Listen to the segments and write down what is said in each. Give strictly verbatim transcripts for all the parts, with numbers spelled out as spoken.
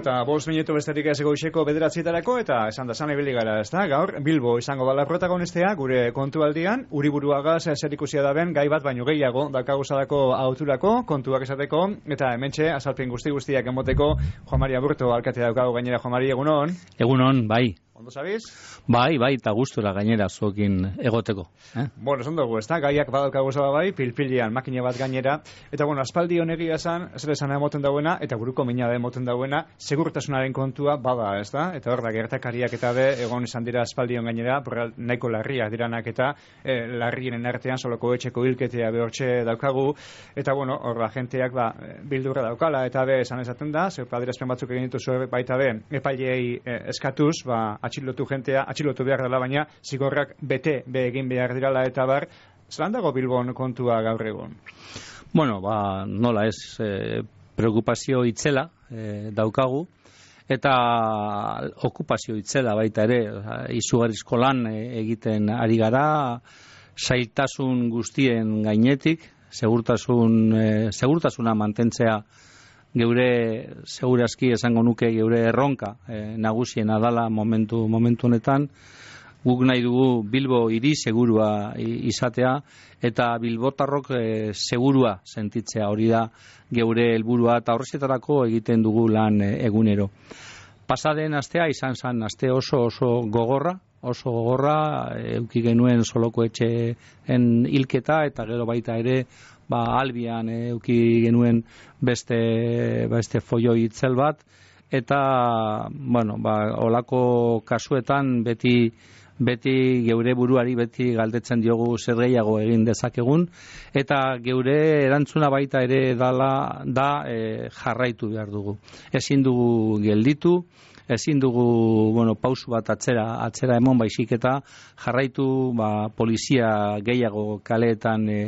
eta bost minutu besterik ez goizeko bederatzietarako, eta esan da zan ibili gara, ez da? Gaur, Bilbo izango bala protagonistea, gure kontualdian, Uriburuagaz zerikusia daben, gai bat baino gehiago, dakaguzadako auturako, kontuak esateko, eta hementxe, azalpen guzti guztiak emoteko, Juan Mari Aburto alkatea daukago gainera. Juan Mari, egunon? Egunon, bai. Ondo sabiz? Bai, bai, eta gustura gainera zuekin egoteko. Eh? Bueno, esan dugu, ez da? Gaiak badaukagu zaba bai, pilpilian, makina bat gainera. Eta, bueno, aspaldi honegia esan, zer esan emoten dauena, eta buruko mina da emoten dauena, segurtasunaren kontua bada, ez da? Eta hor da, gertakariak eta be, egon izan dira aspaldion gainera, porra, nahiko larriak diranak eta eh, larrienen artean, soloko etxeko hilketea behortxe daukagu. Eta, bueno, hor da, jenteak ba, bildurra daukala, eta be, esan esaten da, zer padirazpen batzuk egin dituzu baita be, epailei eh, eskatuz, ba, atxilotu jentea, atxilotu behar dela, baina zigorrak bete be egin behar dirala eta bar, zelan dago Bilbon kontua gaur egun? Bueno, ba, nola ez, e, preokupazio itzela e, daukagu, eta okupazio itzela baita ere, izugarrizko lan egiten ari gara, zailtasun guztien gainetik, segurtasun, e, segurtasuna mantentzea geure segurazki esango nuke geure erronka e, nagusiena dala momentu momentu honetan. Guk nahi dugu Bilbo hiri segurua izatea eta bilbotarrok e, segurua sentitzea, hori da geure helburua eta horretarako egiten dugu lan e, egunero. Pasaden astea izan zen aste oso oso gogorra, oso gogorra, eduki genuen Soloko etxeen hilketa eta gero baita ere ba Albian eduki genuen beste beste folloi itzel bat eta bueno, ba olako kasuetan beti beti geure buruari beti galdetzen diogu zer gehiago egin dezakegun eta geure erantzuna baita ere dala da e, jarraitu behar dugu. Ezin dugu gelditu, ezin dugu, bueno, pausu bat atzera atzera emon baizik eta jarraitu ba polizia gehiago kaleetan e,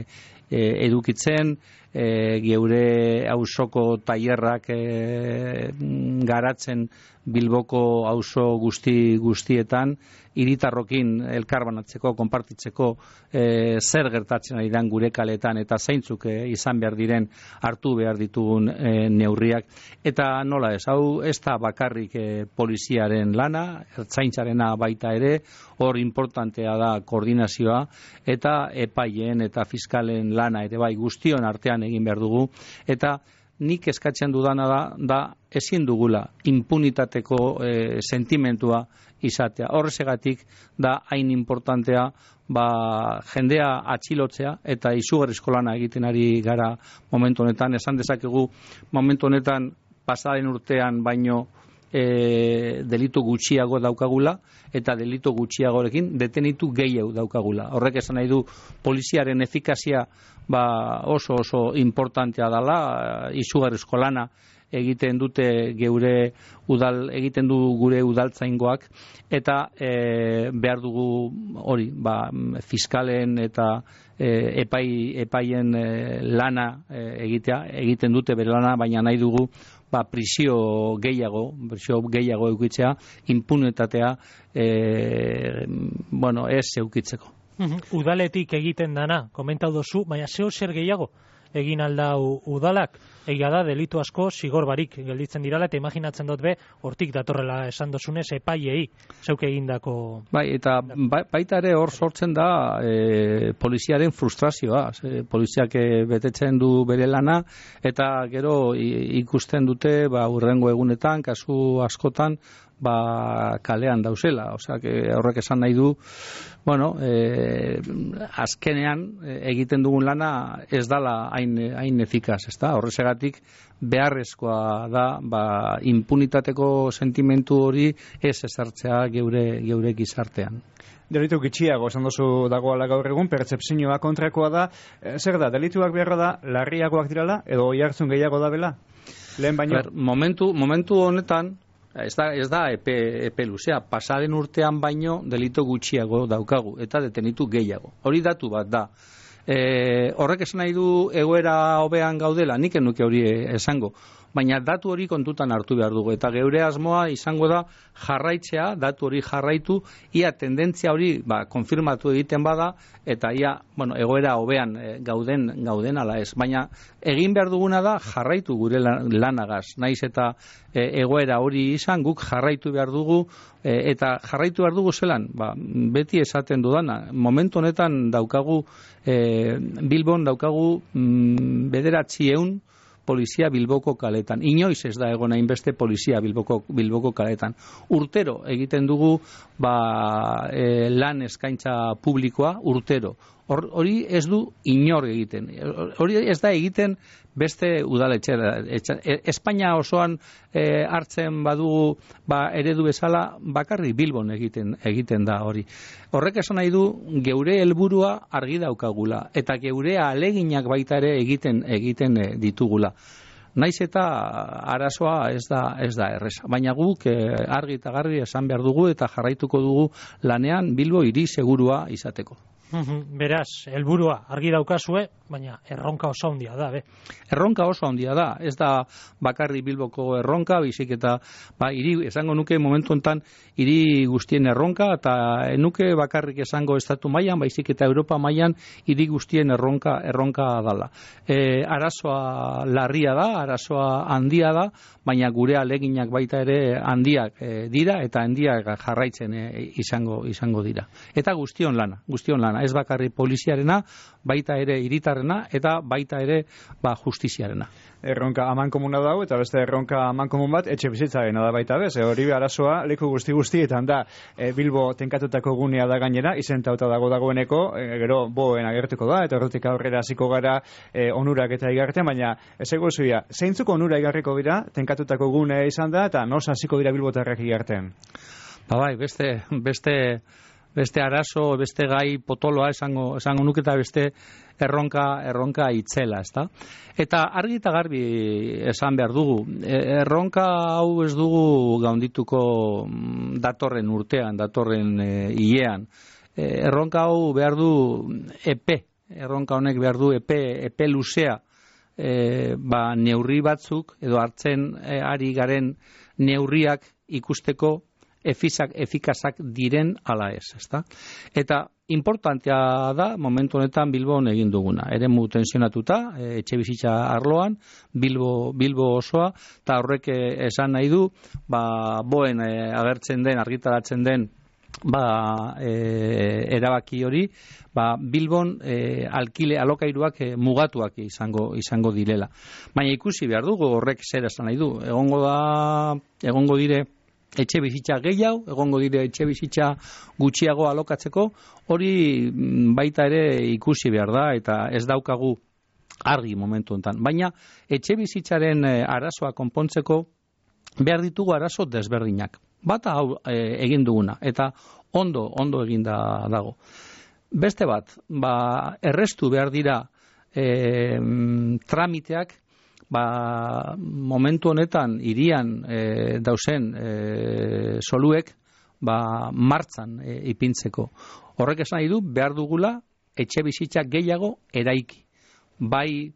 E, edukitzen, e, geure auzoko tailerrak e, garatzen Bilboko auzo guzti guztietan, hiritarrokin elkarbanatzeko, konpartitzeko e, zer gertatzen ari den gure kaletan eta zeintzuk e, izan behar diren hartu behar ditugun e, neurriak. Eta nola ez, hau ez da bakarrik e, poliziaren lana, ertzaintzarena baita ere, hor importantea da koordinazioa eta epaileen eta fiskalen lana ere bai guztion artean egin behar dugu eta nik eskatzen dudana da, da ezin dugula impunitateko e, sentimentua izatea. Horregatik da hain importantea ba, jendea atxilotzea eta izugarrizko lana egiten ari gara momentu honetan. Esan dezakegu momentu honetan pasaren urtean baino E, delitu gutxiago daukagula eta delitu gutxiagorekin detenitu gehiago daukagula. Horrek esan nahi du poliziaren efikazia ba, oso oso importantea dela, izugarrizko lana egiten dute geure udal egiten du gure udaltzaingoak eta e, behar dugu hori, ba, fiskalen eta e, epai epaien e, lana e, egitea, egiten dute bere lana, baina nahi dugu ba, prisio gehiago, prisio gehiago eukitzea, impunitatea e, bueno, ez eukitzeko. Udaletik egiten dana, komentau dozu, baina zeo zer gehiago egin aldau udalak, egia da delitu asko zigor barik gelditzen dirala eta imaginatzen dut be, hortik datorrela esan dozunez epaiei zeuk egindako. Bai, eta ba, baita ere hor sortzen da e, poliziaren frustrazioa, e, poliziak betetzen du bere lana eta gero ikusten dute ba, urrengo egunetan, kasu askotan ba, kalean dauzela, osea, horrek esan nahi du bueno, eh, azkenean egiten dugun lana ez dala hain, hain efikaz, ezta? Horregatik beharrezkoa da ba, impunitateko sentimentu hori ez ezartzea geure, geure gizartean. Delitu gitxiago, esan dozu dagoela gaur egun, pertzepzioa kontrakoa da. E, zer da, delituak beharra da, larriagoak dirala, edo oihartzun gehiago da bela? Lehen baino? Ber, momentu, momentu honetan, Ez da, ez da epe, epe luzea, pasaren urtean baino delito gutxiago daukagu eta detenitu gehiago. Hori datu bat da. E, horrek esan nahi du egoera hobean gaudela, nik enuke hori esango. Baina datu hori kontutan hartu behar dugu. Eta geure asmoa izango da jarraitzea, datu hori jarraitu, ia tendentzia hori ba, konfirmatu egiten bada, eta ia bueno, egoera hobean e, gauden, gauden ala ez. Baina egin behar duguna da jarraitu gure lanagaz. Naiz eta e, egoera hori izan, guk jarraitu behar dugu, e, eta jarraitu behar dugu zelan, ba, beti esaten dudana. Momentu honetan daukagu, e, Bilbon daukagu mm, bederatzi eun polizia Bilboko kaletan. Inoiz ez da egon hainbeste polizia Bilboko, Bilboko kaletan. Urtero egiten dugu ba, e, lan eskaintza publikoa, urtero. Hor, hori ez du inor egiten. Hori ez da egiten beste udaletxera. Espainia osoan e, hartzen badugu ba, eredu bezala bakarrik Bilbon egiten egiten da hori. Horrek esan nahi du geure helburua argi daukagula eta geure ahaleginak baita ere egiten egiten ditugula. Naiz eta arazoa ez da ez da erresa. Baina guk e, argi eta garbi esan behar dugu eta jarraituko dugu lanean Bilbo hiri segurua izateko. Beraz, helburua argi daukazue, baina erronka oso handia da, be. Erronka oso handia da, ez da bakarri Bilboko erronka, bizik eta ba, hiri, esango nuke momentu hontan hiri guztien erronka, eta enuke bakarrik esango estatu mailan, baizik eta Europa mailan hiri guztien erronka erronka dala. E, arazoa larria da, arazoa handia da, baina gure aleginak baita ere handiak e, dira, eta handiak jarraitzen e, izango izango dira. Eta guztion lana, guztion lana. Ez bakarri poliziarena, baita ere hiritarrena eta baita ere ba, justiziarena. Erronka aman komuna dago eta beste erronka aman komun bat etxe bizitzarena da baita bez. E, hori arazoa leku guzti guztietan da e, Bilbo tenkatutako gunea da gainera, izentauta dago dagoeneko, e, gero boen agertuko da eta horretik aurrera hasiko gara e, onurak eta igarten, baina ez egozuia, zeintzuk onura igarriko dira tenkatutako gunea izan da eta nos hasiko dira bilbotarrak igarten? Ba bai, beste beste beste arazo, beste gai potoloa esango, esango nuke eta beste erronka, erronka itzela, ezta? Eta argi eta garbi esan behar dugu, erronka hau ez dugu gaundituko datorren urtean, datorren e, hilean. E, erronka hau behar du epe, erronka honek behar du epe, epe luzea, e, ba, neurri batzuk, edo hartzen e, ari garen neurriak ikusteko efizak, efikazak diren ala ez, ezta? Eta importantea da momentu honetan Bilbon egin duguna. Eremu tensionatuta, etxe bizitza arloan, Bilbo, Bilbo osoa, eta horrek esan nahi du, ba, boen e, agertzen den, argitaratzen den, ba, e, erabaki hori, ba, Bilbon e, alkile alokairuak e, mugatuak izango izango direla. Baina ikusi behar dugu horrek zer esan nahi du. Egongo da, egongo dire etxe bizitza gehiago, egongo dire etxe bizitza gutxiago alokatzeko, hori baita ere ikusi behar da, eta ez daukagu argi momentu honetan. Baina etxe bizitzaren arazoa konpontzeko behar ditugu arazo desberdinak. Bata hau e, egin duguna, eta ondo, ondo eginda dago. Beste bat, ba, errestu behar dira e, tramiteak, ba, momentu honetan hirian e, dausen e, soluek ba, martzan e, ipintzeko. Horrek esan nahi du behar dugula etxe bizitza gehiago eraiki. Bai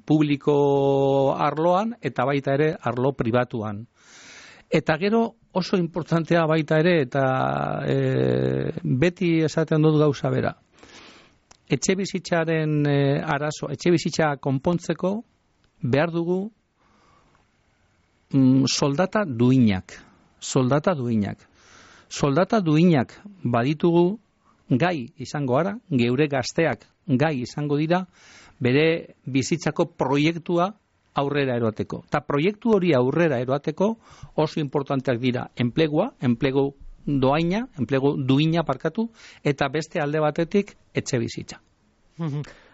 publiko arloan eta baita ere arlo pribatuan. Eta gero oso importantea baita ere eta e, beti esaten dut gauza bera. Etxe bizitzaren e, arazo, etxe bizitza konpontzeko behar dugu mm, soldata duinak. Soldata duinak. Soldata duinak baditugu gai izango ara, geure gazteak gai izango dira, bere bizitzako proiektua aurrera eroateko. Eta proiektu hori aurrera eroateko oso importanteak dira enplegua, enplegu doaina, enplegu duina parkatu, eta beste alde batetik etxe bizitza.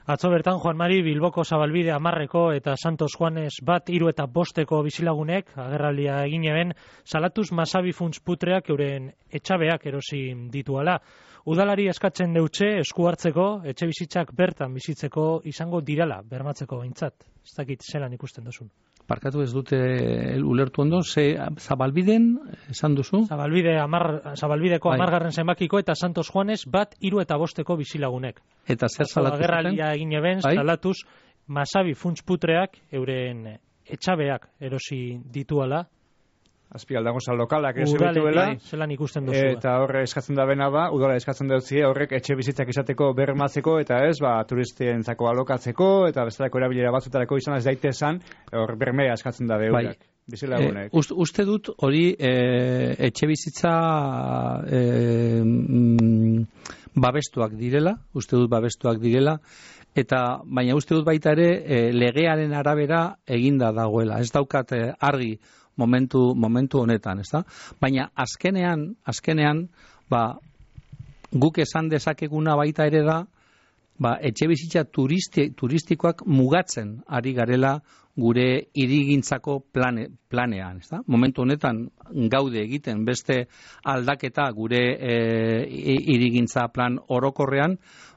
Atzo bertan, Juan Mari, Bilboko Zabalbide hamarreko eta Santos Juanes bat, hiru eta bosteko bizilagunek, agerraldia egin eben, salatuz masabi funts putreak euren etxabeak erosi dituala. Udalari eskatzen deutxe esku hartzeko, etxe bizitzak bertan bizitzeko izango dirala, bermatzeko behintzat. Ez dakit zelan ikusten duzun. parkatu ez dute ulertu ondo, ze Zabalbiden, esan duzu? Zabalbide amar, Zabalbideko bai. amargarren zenbakiko eta Santos Juanes bat hiru eta bosteko bizilagunek. Eta zer salatu zuten? Agerraldia egin eben, bai? salatuz, Masabi funtsputreak euren etxabeak erosi dituala. Azpialdagoza lokalak ez Udaletik, bituela, zelan ikusten duzu. eta horre eskatzen da bena da, udala eskatzen dutzie horrek etxe bizitzak izateko bermatzeko, eta ez, ba, turistientzako alokatzeko, eta bestelako erabilera batzutarako izan ez daitezan, hor bermea eskatzen da beurak. Bai. Bizilagunek. E, uste dut hori e, etxe bizitza e, mm, babestuak direla, uste dut babestuak direla, eta baina uste dut baita ere e, legearen arabera eginda dagoela. Ez daukat e, argi momentu momentu honetan, ezta? Baina azkenean, azkenean, ba, guk esan dezakeguna baita ere da, ba, etxe bizitza turisti, turistikoak mugatzen ari garela gure hirigintzako plane, planean, ezta? Momentu honetan gaude egiten beste aldaketa gure hirigintza plan orokorrean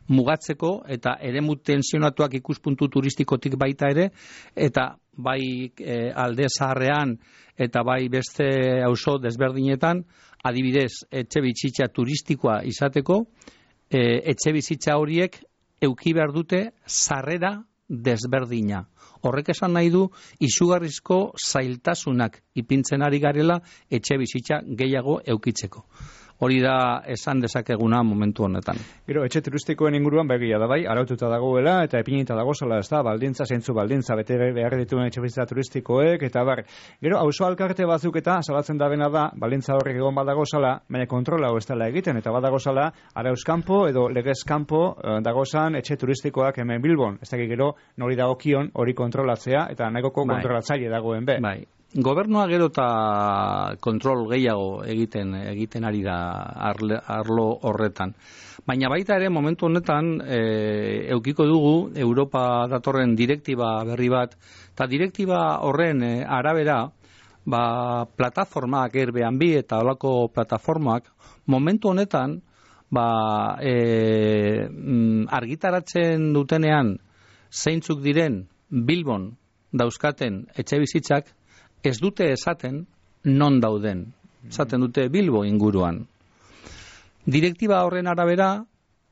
mugatzeko eta eremu tensionatuak ikuspuntu turistikotik baita ere, eta bai e, alde zaharrean eta bai beste auzo desberdinetan, adibidez, etxe bizitza turistikoa izateko, e, etxe bizitza horiek euki behar dute sarrera desberdina. Horrek esan nahi du izugarrizko zailtasunak ipintzen ari garela etxe bizitza gehiago eukitzeko. Hori da esan dezakeguna momentu honetan. Gero, etxe turistikoen inguruan begia da bai, araututa dagoela eta epinita dagozala, ez da, baldintza, zeintzu baldintza, bete behar dituen etxe bizitza turistikoek, eta bar. Gero, auzo alkarte batzuk eta salatzen da bena da, baldintza horrek egon badagozala, baina kontrola ez dela egiten, eta badagozala, arauzkampo edo legezkampo dagozan etxe turistikoak hemen Bilbon. Ez dakik gero, nori dagokion hori kontrolatzea, eta nahikoko bai. kontrolatzaile dagoen be. Bai. Gobernua gero eta kontrol gehiago egiten egiten ari da arle, arlo horretan. Baina baita ere momentu honetan e, eukiko dugu Europa datorren direktiba berri bat, eta direktiba horren e, arabera ba, plataformak Airbnb eta holako plataformak momentu honetan ba, e, argitaratzen dutenean zeintzuk diren Bilbon dauzkaten etxe bizitzak, ez dute esaten non dauden. Esaten dute Bilbo inguruan. Direktiba horren arabera,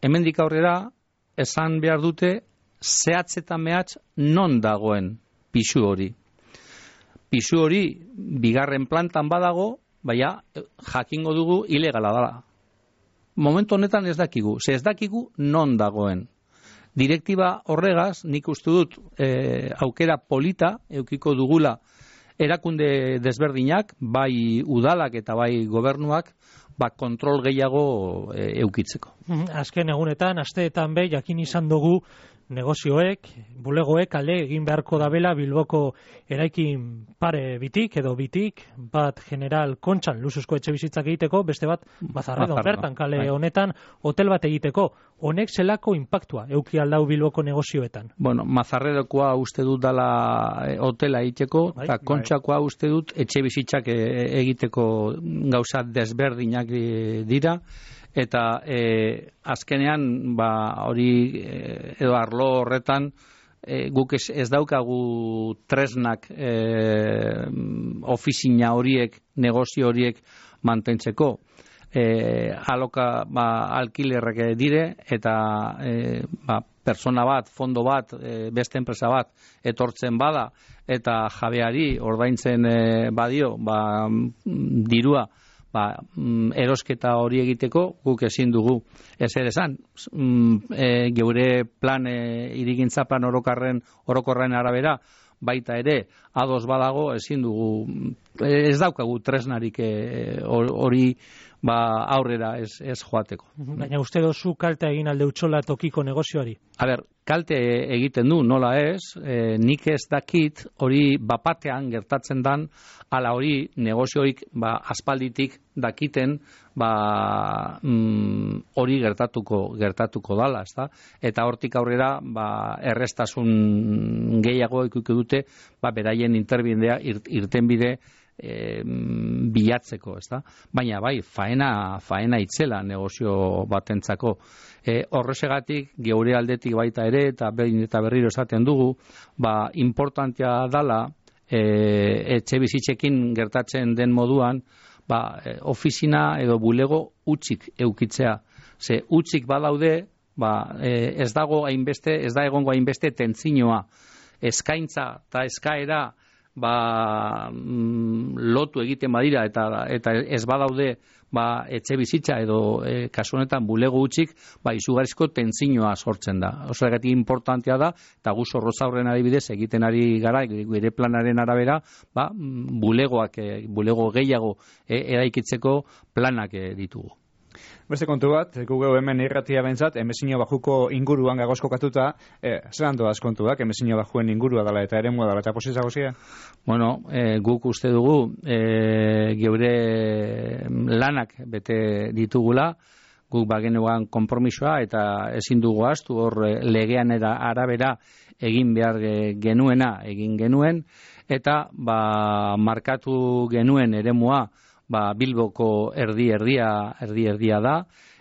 hemendik aurrera, esan behar dute zehatz eta mehatz non dagoen pisu hori. Pisu hori bigarren plantan badago, baina jakingo dugu ilegala dela. Momentu honetan ez dakigu, ze ez dakigu non dagoen. Direktiba horregaz, nik uste dut e, aukera polita eukiko dugula erakunde desberdinak, bai udalak eta bai gobernuak, ba kontrol gehiago e, eukitzeko. Azken egunetan, asteetan be, jakin izan dugu negozioek, bulegoek ale egin beharko dabela Bilboko eraikin pare bitik edo bitik, bat General Kontxan luzuzko etxe bizitzak egiteko, beste bat Bazarredon bertan kale bai. Honetan hotel bat egiteko. Honek zelako inpaktua euki aldau Bilboko negozioetan? Bueno, Mazarredokoa uste dut dala e, hotela egiteko, bai, eta Kontxakoa bai. Uste dut etxe bizitzak e, egiteko gauza desberdinak e, dira, eta e, azkenean ba hori e, edo arlo horretan e, guk ez, ez daukagu tresnak e, ofizina horiek, negozio horiek mantentzeko. E, aloka ba, alkilerrek dire eta e, ba, persona bat, fondo bat, e, beste enpresa bat etortzen bada eta jabeari ordaintzen e, badio ba, dirua ba, erosketa hori egiteko guk ezin dugu ezer esan. E, geure plan e, hirigintza plan orokarren orokorren arabera baita ere ados badago ezin dugu, ez daukagu tresnarik hori e, ba aurrera ez, ez joateko. Baina uste dozu kalte egin alde utzola tokiko negozioari? A ber, kalte egiten du, nola ez, e, nik ez dakit hori bapatean gertatzen dan, ala hori negozioik ba, aspalditik dakiten ba, mm, hori gertatuko gertatuko dala, ezta? Eta hortik aurrera ba, errestasun gehiago ikuiko dute ba, beraien interbidea irtenbide E, bilatzeko, ezta? Baina bai, faena, faena itzela negozio batentzako. E, horrezegatik, geure aldetik baita ere, eta behin eta berriro esaten dugu, ba, importantea dala e, etxe bizitzekin gertatzen den moduan, ba, e, ofizina edo bulego utzik eukitzea. Ze utzik badaude, ba, e, ez dago hainbeste, ez da egongo hainbeste tentzinoa. Eskaintza eta eskaera ba, mm, lotu egiten badira eta eta ez badaude ba, etxe bizitza edo e, kasu honetan bulego utzik, ba, izugarrizko tentzinoa sortzen da. Horregatik importantea da, eta gu Zorrozaurren adibidez egiten ari gara, gure planaren arabera, ba, bulegoak, e, bulego gehiago e, eraikitzeko planak e, ditugu. Beste kontu bat, gugeu hemen irratia bentzat, Emezino Bajuko inguruan gagoz kokatuta, eh, zelan doaz kontuak, Emezino Bajuen ingurua dela eta eremua dela eta positza gozia? Bueno, e, guk uste dugu, e, geure lanak bete ditugula, guk bagenuan konpromisoa eta ezin dugu astu hor legean era arabera egin behar genuena egin genuen, eta ba, markatu genuen eremua, ba, Bilboko erdi erdia erdi erdia da,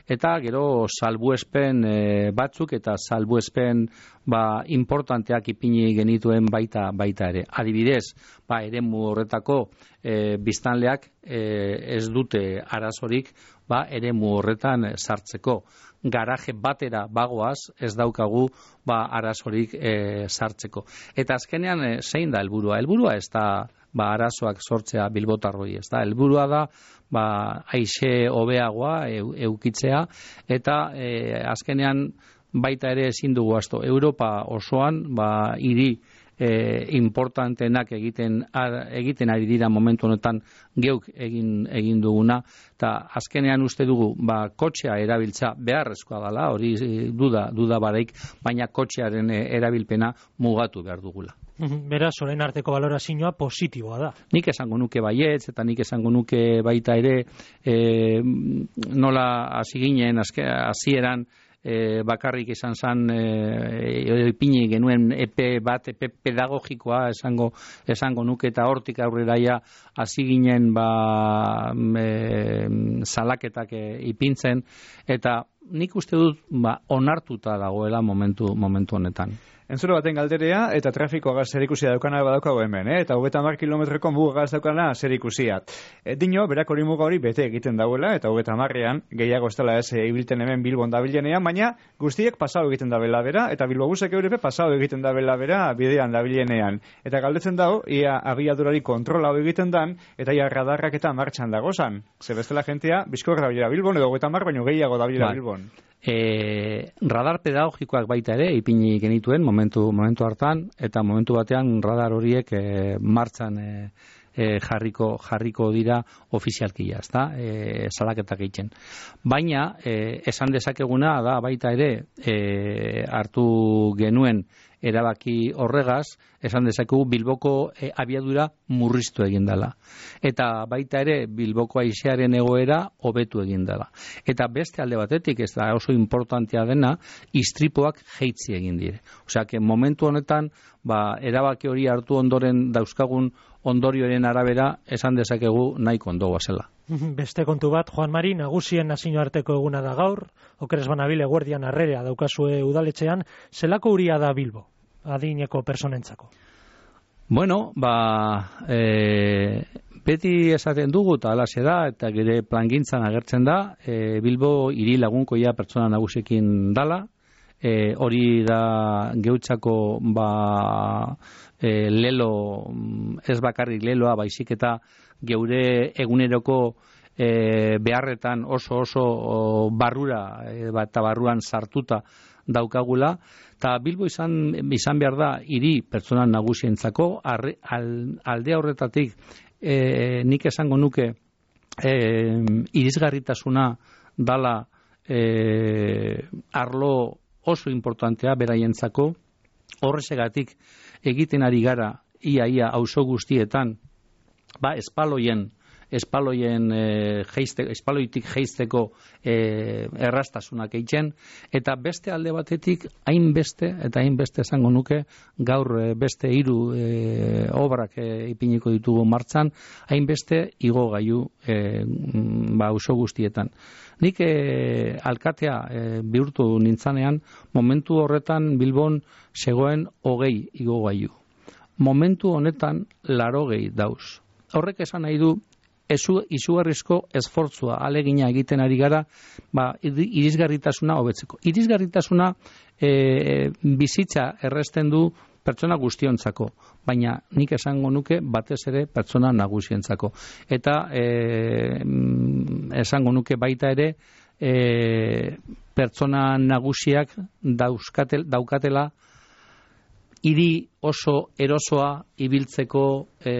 eta gero salbuespen e, batzuk eta salbuespen ba, importanteak ipini genituen baita baita ere. Adibidez, ba, eremu horretako e, biztanleak e, ez dute arazorik ba, eremu horretan sartzeko. Garaje batera bagoaz ez daukagu ba, arazorik e, sartzeko. Eta azkenean e, zein da helburua? Helburua ez da ba, arazoak sortzea bilbotarroi, ez da, helburua da, ba, aixe hobeagoa eu, eukitzea, eta e, azkenean baita ere ezin dugu asto, Europa osoan, ba, hiri e, importantenak egiten, ar, egiten ari dira momentu honetan geuk egin, egin duguna, eta azkenean uste dugu, ba, kotxea erabiltza beharrezkoa dela, hori duda, duda baraik, baina kotxearen erabilpena mugatu behar dugula. Beraz, orain arteko balorazioa positiboa da. Nik esango nuke baietz, eta nik esango nuke baita ere e, nola hasi ginen hasieran e, bakarrik izan zan e, ipini genuen epe bat, epe pedagogikoa esango, esango nuke, eta hortik aurreraia hasi ginen ba, e, salaketak e, ipintzen, eta nik uste dut ba, onartuta dagoela momentu, momentu honetan. Entzuro baten galderea eta trafikoa zer ikusia daukana badaukago hemen, eh? Eta hogeita hamar kilometroko muga gaz daukana zer ikusia. E, dino, berak hori muga hori bete egiten dauela, eta hogeita hamarrean gehiago ez dela ez e, ibilten hemen Bilbon dabilenean, baina guztiek pasau egiten dabela bera, eta Bilbobusek eurepe pasau egiten dabela bera bidean dabilenean. Eta galdetzen dago, ia abiadurari kontrola egiten dan, eta ia radarrak eta martxan dagozan. Ze bestela jentea, bizkor dabilera Bilbon, edo hogeita hamar baino gehiago dabilera Bilbon. E, radar pedagogikoak baita ere ipini genituen momentu momentu hartan, eta momentu batean radar horiek e, martxan e, e, jarriko jarriko dira ofizialkia, ezta? E, salaketak egiten. Baina e, esan dezakeguna da baita ere e, hartu genuen erabaki horregaz, esan dezakegu Bilboko e, abiadura murriztu egin dela. Eta baita ere Bilboko haizearen egoera hobetu egin dela. Eta beste alde batetik, ez da oso importantea dena, istripoak jeitzi egin dire. Osea, que momentu honetan, ba, erabaki hori hartu ondoren dauzkagun ondorioen arabera, esan dezakegu nahiko ondo goazela. Beste kontu bat, Juan Mari, nagusien nazioarteko eguna da gaur, okeres banabile guardian arrerea daukazue udaletxean, zelako uria da Bilbo, adineko personentzako? Bueno, ba, e, beti esaten dugu, eta alaxe da, eta gire plangintzan agertzen da, e, Bilbo hiri lagunkoia pertsona nagusekin dala, e, hori da geutzako ba, e, lelo, ez bakarrik leloa, baizik eta geure eguneroko e, beharretan oso oso o, barrura e, eta barruan sartuta daukagula, eta Bilbo izan, izan behar da hiri pertsona nagusientzako, arre, al, alde horretatik e, nik esango nuke e, irisgarritasuna dala e, arlo oso importantea beraientzako, horrezegatik egiten ari gara ia ia auzo guztietan, ba, espaloien, espaloien e, geiste, espaloitik geisteko e, errastasunak eitzen, eta beste alde batetik hainbeste, eta hainbeste esango nuke, gaur e, beste hiru e, obrak e, ipiniko ditugu martxan, hainbeste igogailu e, ba, auzo guztietan. Nik e, alkatea e, bihurtu nintzanean, momentu horretan Bilbon zegoen hogei igogailu. momentu honetan larogei dauz. Horrek esan nahi du, ezu, izugarrizko esfortzua, alegina egiten ari gara, ba, irisgarritasuna hobetzeko. Irisgarritasuna e, bizitza erresten du pertsona guztiontzako, baina nik esango nuke batez ere pertsona nagusientzako. Eta e, esango nuke baita ere e, pertsona nagusiak dauzkatel, daukatela hiri oso erosoa ibiltzeko, e,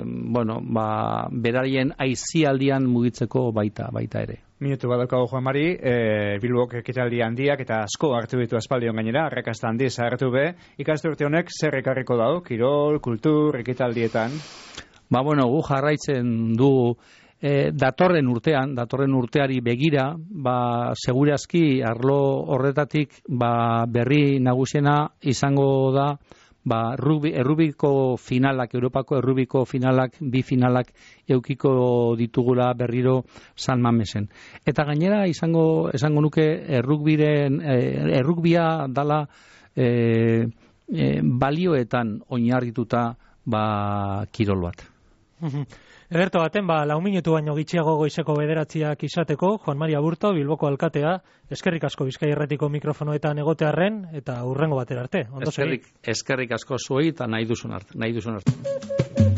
bueno, ba, beraien aizialdian mugitzeko baita baita ere. Minutu badaukago Juan Mari, e, Bilbok ekitaldi handiak eta asko hartu ditu aspaldion gainera, arrakasta handiz hartu be, ikasturte honek zer ekarriko dago, kirol, kultur, ekitaldietan? Ba, bueno, gu jarraitzen du e, datorren urtean, datorren urteari begira, ba, segurazki arlo horretatik ba, berri nagusiena izango da ba, rugby, errubiko finalak, Europako errubiko finalak, bi finalak eukiko ditugula berriro San Mamesen. Eta gainera izango esango nuke errugbiren, errugbia dala e, e, balioetan oinarrituta ba, kirol bat. Ederto baten, ba, lau minutu baino gitxiago goizeko bederatziak izateko, Juan Mari Aburto, Bilboko alkatea, eskerrik asko Bizkai Irratiko mikrofonoetan egotearren, eta hurrengo batera arte. Ondo eskerrik, eskerrik asko zuei, eta nahi duzun arte. Nahi duzun arte.